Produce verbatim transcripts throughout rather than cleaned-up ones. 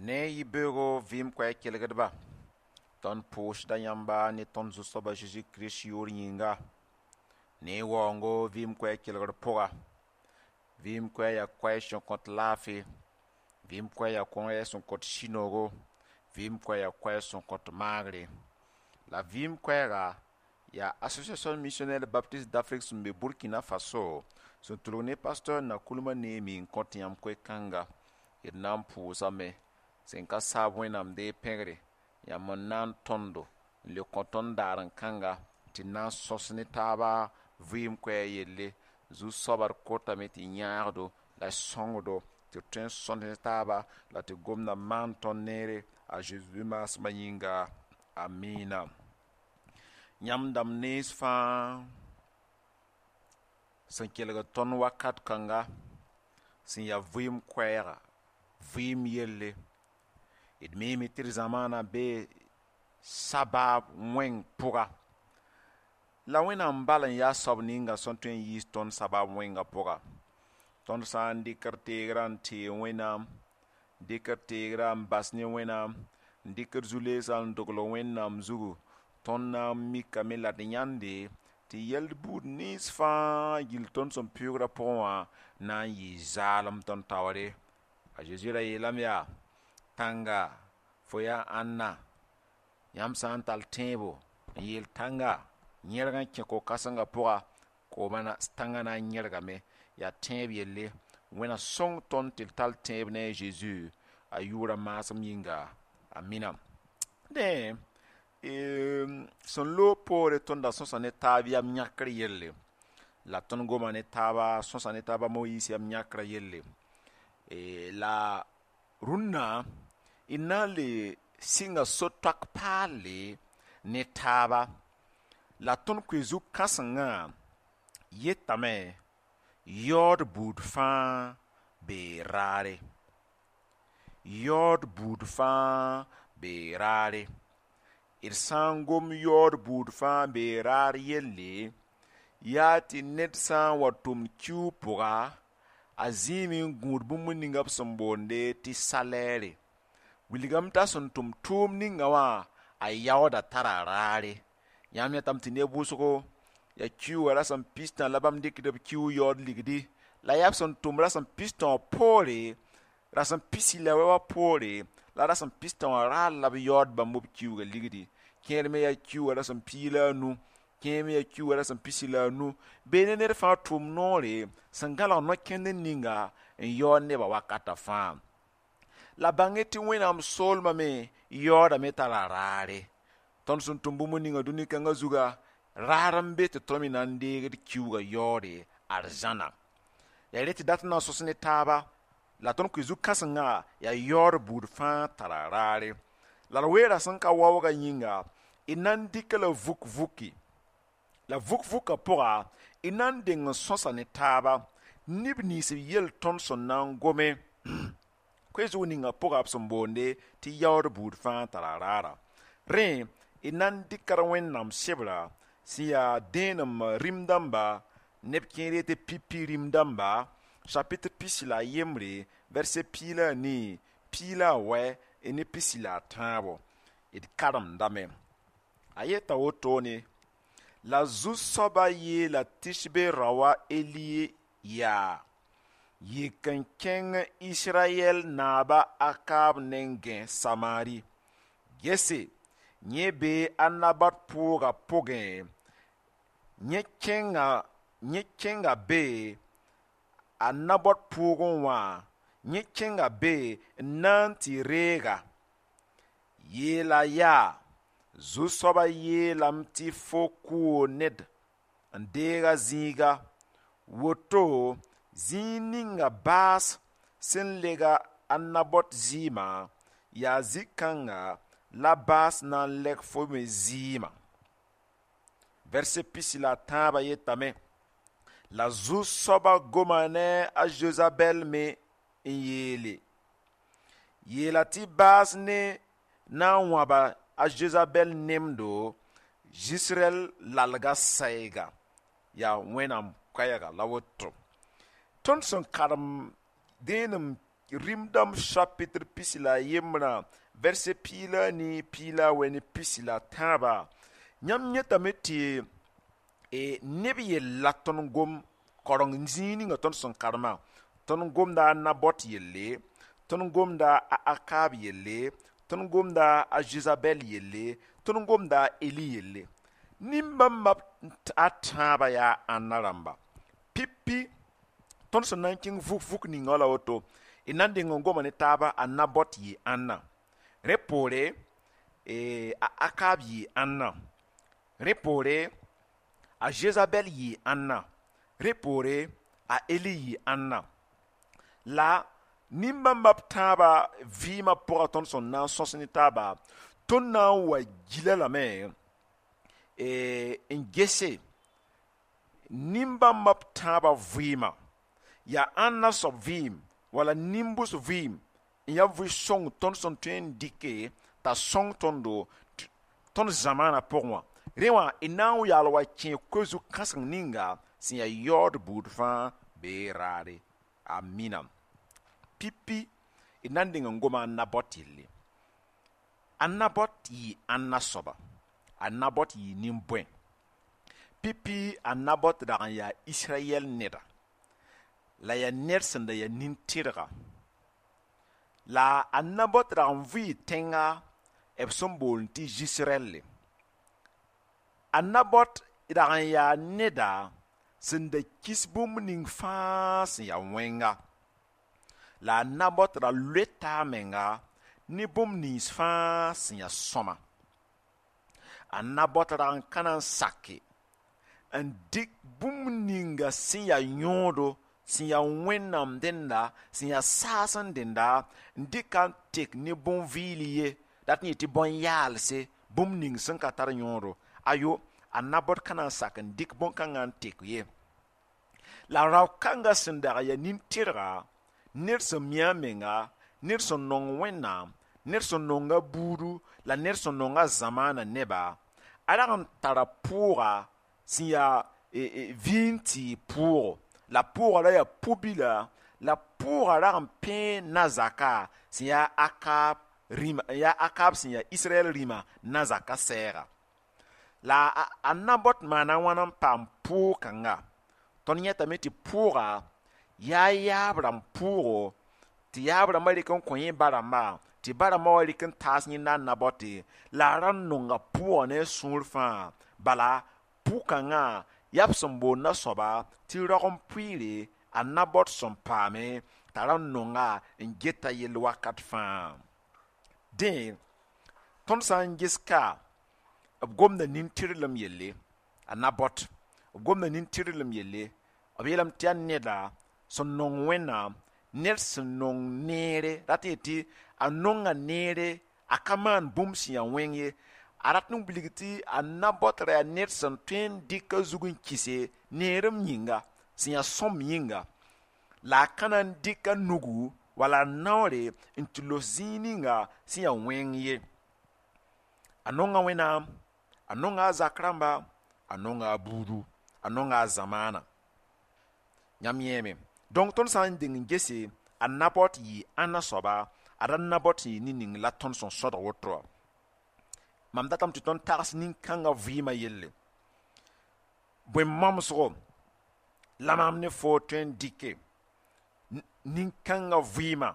Ne yibeoogo vɩɩm koɛɛg kelgdba tõnd pʋʋsda yãmba ne tõnd Zu-soaba Zeezi Kirist yʋʋr yĩnga ne waoongo vɩɩm koɛɛg kelgr pʋga vɩɩm koɛɛg yaa koɛɛg sẽn kõt laafɩ vɩɩm koɛɛg yaa koɛɛg sẽn kõt sũ-noogo vɩɩm koɛɛg yaa koɛɛg sẽn kõt maagre la vɩɩm koɛɛga yaa association missionnaire baptiste d'Afrique sẽn be Burkina Faso sẽn tʋlg ne pasteur Nakoulma Néhémie n kõt yãmb koe-kãnga d na n pʋʋsame sẽn ka saab wẽnnaam dee pẽgre yãmb n na n tõndo n le kõ tõnd daar n kãnga tɩ na n sõs ne taaba vɩɩm koɛɛg yelle zu-soaba d kotame tɩ yãagdo la sõngdo tɩ d tõe n sõs ne taaba la tɩ gomda maan tõnd neere a Zeezi maasmã yĩnga amiina yãmb dãmb nens fãa sẽn kelgd tõnd wakat kãnga sẽn yaa vɩɩm koɛɛga vɩɩm yelle d miime tɩ d zamaana bee sabaab wẽng pʋga la wẽnnaam bal n yaa soab ninga sẽn tõe n yiis tõnd sabaab wẽngã pʋga tõnd sã n dɩk d teegrã n tee wẽnnaam dɩk d teegrã n bas ne wẽnnaam n dɩk d zu-leesã n dogl wẽnnaam zugu tõnd na n mikame la d yãnde tɩ yɛld buud nins fãa gill tõnd sẽn pʋʋgrã pʋgẽ wã na n yɩ zaalem tõnd taoore a Zeezi ra yeelame yaa tãnga fo yaa ãnna yãmb sã n tall tẽebo n yeel tãnga yẽrg n kẽ ko-kãsengã pʋga kooma tãngã na n yẽrgame yaa tẽeb yelle wẽna sõng tõnd tɩ d tall tẽeb ne a Zeezi a yʋʋra maasem yĩnga amina dẽ sẽn loog poore tõnda sõsa ne taab yam yãkr yelle la tõnd goma ne taaba sõsa ne taaba Moyiis yam yãkrã yelle la rũnnã d na n le sɩnga so-toak paalle ne taaba la tõnd koe zu-kãsengã yetame yaood buud fãa bee raare yaood buud fãa bee raare d sã n gom yaood buud fãa bee raar yelle yaa tɩ ned sã n wa tʋmd kiuug pʋga a zĩime n gũud bũmb ninga b sẽn boonde tɩ salɛɛre wilgame t'a sẽn tʋm tʋʋm ninga wã a yaooda tara raare yãmb yãtame tɩ neb wʋsgo yaa kiuugã rasem pistã la bãmb dɩkd b kiuug yaood ligdi la yaa b sẽn tʋm rasem pistã wã poore rasem pisi la wɛ wã poore la rasem pistã wã raar la b yaood bãmb b kiuugã ligdi kẽer me yaa kiuugã rasem piig la a nu kẽer me yaa kiuugã rasem pisi la a nu bee ne ned fãa tʋʋm noore sẽn gãlg no-kẽndr ninga n yaood nebã wakatã fãa la bãng tɩ wẽnnaam soolmã me yaoodame tara raare tõnd sẽn tʋm bũmb ninga dũni kãngã zuga raar n be tɩ tõnd me na n deegd kiuugã yaoode arzãna yaa re tɩ dat n na n sõs ne taaba la tõnd koe zu-kãsengã yaa yaood buud fãa tara raare la d weera sẽn ka waoogã yĩnga d na n dɩka la vuk-vuki la vuk-vukã pʋga d na n deng n sõsa ne taaba neb nins b yel tõnd sẽn na n gome koe zug ninga pʋga b sẽn boonde tɩ yaood buud fãa tara raara rẽ d na n dɩka d wẽnnaam sebra sẽn yaa dẽenem rĩm dãmba neb kẽer yetɩ pipi rĩm dãmba chapitre pisi la a yembre verset piig la a nii piig la a wɛ ne pisi la a tãabo d karemdame a yeta wotone la zu-soaba yeela Tishbe raoã Eli yaa yik n kẽng Israyɛl naaba Akab nengẽ Samari gese yẽ bee a Nabat pʋʋgã pʋgẽ yẽ kẽnga yẽ kẽnga be a Nabot pʋʋgẽ wã yẽ kẽnga be n na n tɩ reega yeela yaa zu-soaba yeelame tɩ fo kʋʋ ned n deeg a zĩiga woto zĩig ninga baas sẽn lega a Nabot zɩɩmã yaa zĩ-kãnga la baas na n lɛg fo me zɩɩmã verset pisi la a tãabã yetame la zu-soaba goma ne a Jezabɛl me n yeele yeela tɩ baas ne na n wãba a Jezabɛl nemdo Zisrɛl lalga sɛɛga yaa wẽnnaam koɛɛga la woto tõnd sẽn karem dẽenem Rĩm-dãmb chapitre pisi la a yembrã, verset piig la a nii, piig la a wɛ ne pisi la a tãaba, yãmb yẽtame tɩ e, neb yella tõnd gom kareng zĩig ninga tõnd sẽn karemã. Tõnd gomda a Nabot yelle, tõnd gomda a Akab yelle, tõnd gomda a Jezabɛl yelle, tõnd gomda a Eli yelle. Nin-bãmba a tãabã yaa ãnna rãmba? Pipi tõnd sẽn na n kẽng vuk-vuk ninga la woto, d na n deng n goma ne taaba. A Nabot yɩ ãnna? Rẽ poore, e, a Akab yɩ ãnna? Rẽ poore, a Jezabɛl yɩ ãnna? Rẽ poore, a Eli yɩ ãnna? La nin-bãmba b tãabã vɩɩmã pʋga tõnd sẽn na n sõs ne taaba, tõnd na n wa gila lame e, n gese nin-bãmba b tãabã vɩɩmã yaa ãnna soab vɩɩm wala nin-bʋs vɩɩm n yaa vɩ-sõng tõnd sẽn tõe n dɩke t'a sõng tõndo tõnd zamaanã pʋgẽ wã. Rẽ wã d na n yaal wa kẽ koe-zug kãseng ninga sẽn yaa yaood buud fãa bee raare. Amina. Pipi d na n deng n goma a Nabot yelle. A Nabot yɩ ãnna soaba? A Nabot yɩ nin-bõe? Pipi a Nabot dag n yaa Israyɛl neda, la yaa ned sẽn da yaa nin-tɩrga. La a Nabot dag n vɩɩ tẽnga b sẽn boond tɩ Zisrɛlle. A Nabot dag n yaa neda sẽn da kis bũmb ning fãa sẽn yaa wẽnga. La a Nabot ra loeta a menga ne bũmb nins fãa sẽn yaa sõma. A Nabot rag n ka na n sake n dɩk bũmb ninga sẽn yaa yõodo, sẽn yaa Wẽnnaam dẽnda, sẽn yaa saas n dẽnda, n dɩka n tek ne bõn-vɩɩl ye, dat n yetɩ bõn-yaalse, bũmb ning sẽn ka tar yõodo. Ayo, a Nabot ka na n sak n dɩk bõn-kãngã n tek ye. La rao-kãngã sẽn dag yaa nin-tɩrga, ned sẽn mi a menga, ned sẽn nong Wẽnnaam, ned sẽn nonga buudu la ned sẽn nonga zamaanã neba, a rag n tara pʋʋga sẽn yaa e, e, vĩin tɩɩg pʋʋgo. La pʋʋga ra yaa pu-bila, la pʋʋga rag n pẽe na-zaka sẽn yaa Akab rĩma, yaa Akab sẽn yaa Israɛl rĩmã na-zaka sɛɛga. La a, a Nabot maana wãn n paam pʋʋg kãnga? Tõnd yẽtame tɩ pʋʋga yaa yaab rãmb pʋʋgo, tɩ yaab rãmbã rɩk n kõ yẽ ba-rãmbã, tɩ ba-rãmbã wa rɩk n taas yẽnda a Nabote. La a ra n nonga pʋʋgã ne a sũur fãa. Bala pʋ-kãngã yaa b sẽn boond a soaba tɩ raog-n-pʋɩɩre. A Nabot sẽn paame t'a ra n nonga n geta yell wakat fãa. Dẽ tõnd sã n ges ka, b gomda nin-tɩrlem yelle. A Nabot, b gomda nin-tɩrlem yelle. B yeelame tɩ yaa neda sẽn nong Wẽnnaam, ned sẽn nong neere, rat n yetɩ a nonga neere, a ka maan bũmb sẽn yaa wẽng ye. A rat n wilg tɩ a Nabot ra yaa ned sẽn tõe n dɩk a zug n kɩse neerem yĩnga sẽn yaa sõmb yĩnga, la a ka na n dɩk a nugu wala a naoore n tɩ los zĩig ninga sẽn yaa wẽng ye. A nonga Wẽnnaam, a nonga a zak rãmba, a nonga a buudu, a nonga a zamaana. Yãmb yẽeme. Donc tõnd sã n deng n gese, a Nabot yɩ ãnna soaba? A ra Nabot sẽn yɩ nin-ning la tõnd sẽn sõdg woto wã. Mam datame tɩ tõnd tags nin-kãngã vɩɩmã yelle. Bõe mamsgo la maam ne foo tõe n dɩke nin-kãngã vɩɩmã?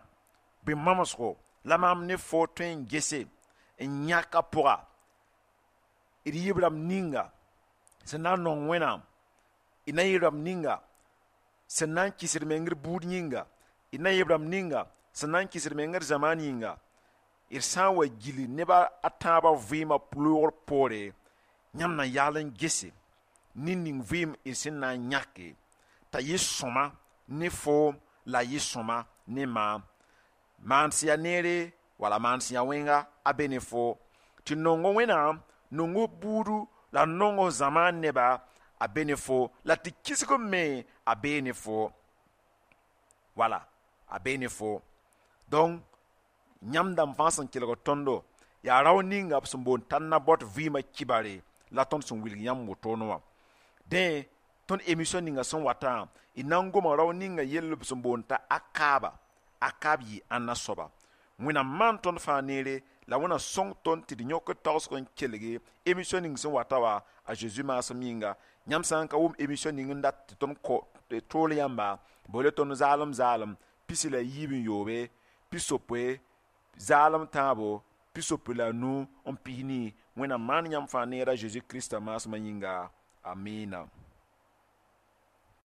Bõe mamsgo la maam ne foo tõe n gese n yãk a pʋga d yib rãmb ninga sẽn na n nong Wẽnnaam, d na yɩ rãmb ninga sẽn na n kɩsd meng d buud yĩnga, d na yɩ rãmb ninga sẽn na n kɩsd meng d zamaan yĩnga? D sã n wa gil neb a tãabã vɩɩmã loogr poore, yãmb na yaal n gese nin-ning vɩɩm d sẽn na n yãke t'a yɩ sõma ne foom la yɩ sõma ne maam. Maan sẽn yaa neere wala maan sẽn yaa wẽnga a be ne foo tɩ nongo Wẽnnaam, nongo buudu la nongo zamaan neba a be ne fo, la tɩ kisg me a bee ne fo, wala a bee ne fo. Donc yãmb dãmb fãa sẽn kelg tõndo, yaa rao ninga b sẽn boond t'a Nabot vɩɩmã kibare la tõnd sẽn wilg yãmb wotone wã. Dẽ tõnd émission ninga sẽn watã, d na n goma rao ninga yell b sẽn boond t'a Akaba. A ka b yɩ ãnna soaba. Wẽnnaam maan tõnd fãa neere la Wẽnnaam sõng tõnd tɩ d yõk tagsg n kelge émission ning sẽn wata wa, a Zeezi maasem yĩnga. Yãmb sã n ka wʋm émission ning n dat tɩ tõnd tool yãmba, boole tõnd zaalem zaalem pisi la yiib n yoobe pisopoe zaalem tãabo pisopoe la nu n pis nii. Wẽnnaam maan yãmb fãa neera Zeezi Krista maasmã yĩnga. Amina.